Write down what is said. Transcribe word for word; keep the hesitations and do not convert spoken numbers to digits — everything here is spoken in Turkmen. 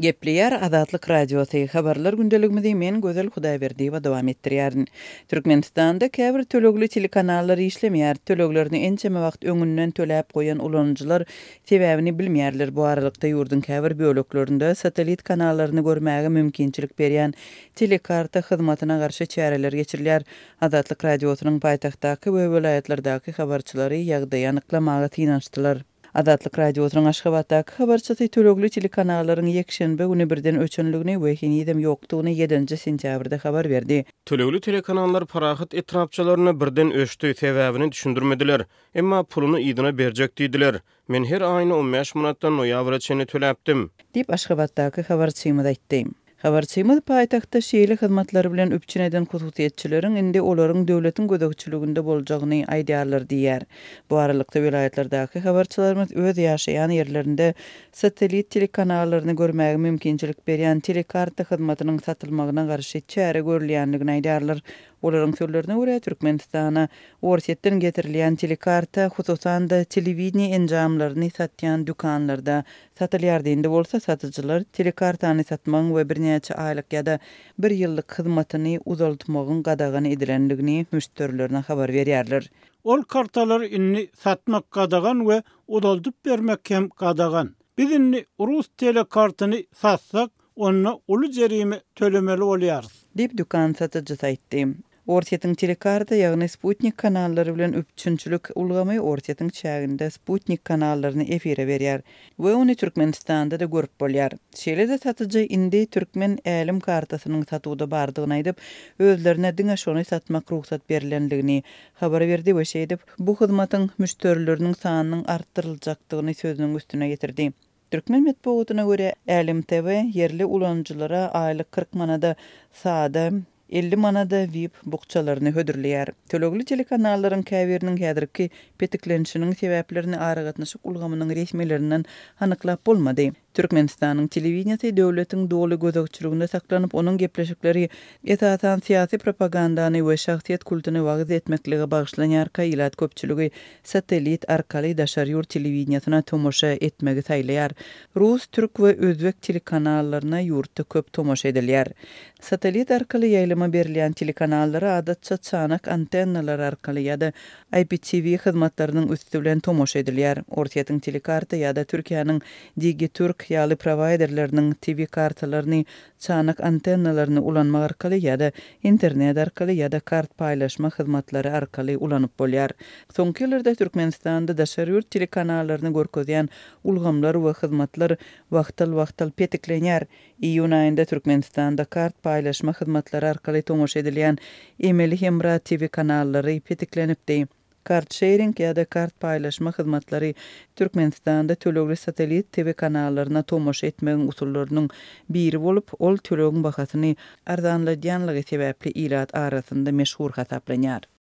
Gepleýär Azatlyk Radiosy, Habarlar gündeligimizi men Gözel Hudaýberdiýewa dowam etdirýärin. Türkmenistanda käbir tölegli telekanallar işlemeýär. Töleglerini ençeme wagt öňünden töläp goýan ulanyjylar sebäbini bilmeýärler. Bu aralykda ýurduň käbir böleklerinde satellit kanallaryny görmäge mümkinçilik berýän telekarta hyzmatyna garşy çäreler geçirilýär. Azatlyk Radiosynyň paýtagtdaky we welaýatlardaky habarçylary ýagdaýy anyklamaga synanyşdylar. Azatlyk Radiosynyň Aşgabatdaky habarçysy tölegli telekanallaryň ýekşenbe güni birden öçenligini we henizem ýokdugyny ýedinji sentýabrda habar berdi. Tölegli telekanallar Parahat etrapçalarynda birden öçdi, sebäbini düşündirmediler. Emma puluny yzyna berjek diýdiler. Men her aýyna on bäş manatdan noýabra çenli töläpdim. Diýip, Aşgabatdaky habarçymyz aýtdy. Habarçymyz paýtagtda şeýle hyzmatlar bilen üpjün eden hususyýetçileriň indi olaryň döwletiň gözegçiliginde boljagyny aýdýarlar diýýär. Bu aralykda welaýatlardaky habarçylarymyz öz ýaşaýan ýerlerinde satellit telekanallaryny görmäge mümkinçilik berýän telekarta hyzmatynyň satylmagyna garşy çäre görülýändigini aýdýarlar. Olaryň sözlerine görä, Türkmenistana Orsýetden getirilýän telekarta, hususan-da, telewideniýe enjamlaryny satýan dükanlarda satylýar. Indi bolsa satyjylar telekartany satmagyň we birnäçe aýlyk ýa-da bir ýyllyk hyzmatyny uzaltmagyň gadagan edilendigini müşderilerine habar berýärler. Ol kartalary indi satmak gadagan we uzaldyp bermek hem gadagan. Biz indi rus telekartyny satsak, onda uly jerime tölemeli bolýarys. Diýip, dükan satyjysy aýtdy. Orsýetiň telekarta, ýagny sputnik kanallary bilen üpjünçilik ulgamy Orsýetiň çäginde sputnik kanallaryny efire berýär we ony Türkmenistanda-da görüp bolýar. Şeýle-de satyjy indi türkmen älem kartasynyň satuwda bardygyny aýdyp, özlerine diňe şony satmak rugsat berlendigini habar berdi we şeýdip, bu hyzmatyň müşderileriniň sanynyň artdyryljakdygyny sözüniň üstüne getirdi. Türkmen metbugatyna görä, Älem T V ýerli ulanyjylara aýlyk kyrk manada sada, elli manada V I P bukjalaryny hödürleýär. Tölegli telekanallaryň käbiriniň häzirki petiklenişiniň sebäplerini aragatnaşyk ulgamynyň resmilerinden anyklap bolmady. Türkmenistanyň telewideniýesi döwletiň doly gözegçiliginde saklanyp, onuň gepleşikleri esasan syýasy propagandany we şahsyýet kultuny wagyz etmeklige bagyşlanýarka, ilat köpçüligi satellit arkaly daşary ýurt telewideniýesine tomaşa etmegi saýlaýar. Rus, türk we özbek telekanallaryna ýurtda köp tomaşa edilýär. Satellit arkaly ýaýlyma berilýän telekanallara adatça çanak antennalar arkaly ýa-da I P T V hyzmatlarynyň üsti bilen tomaşa edilýär. Orsýetiň telekarta ýa-da Türkiýäniň Digiturk ýaly prowaýderleriniň T V kartalaryny çanak antennalaryny ulanmak arkaly ýa-da internet arkaly ýa-da kart paýlaşma hyzmatlary arkaly ulanyp bolýar. Soňky ýyllarda Türkmenistanda daşary ýurt telekanallaryny görkezýän ulgamlar we hyzmatlar wagtal-wagtal petiklenýär. Iýun aýynda Türkmenistanda kart paýlaşma hyzmatlary arkaly tomaşa edilýän emeli hemra T V kanallary petiklenipdi. Kart sharing ýa-da kart paýlaşma hyzmatlary Türkmenistanda tölegli satellit T V kanallaryna tomaşa etmegiň usullarynyň biri bolup, ol tölegiň bahasyny arzanladýanlygy sebäpli ilat arasynda meşhur hasaplanýar.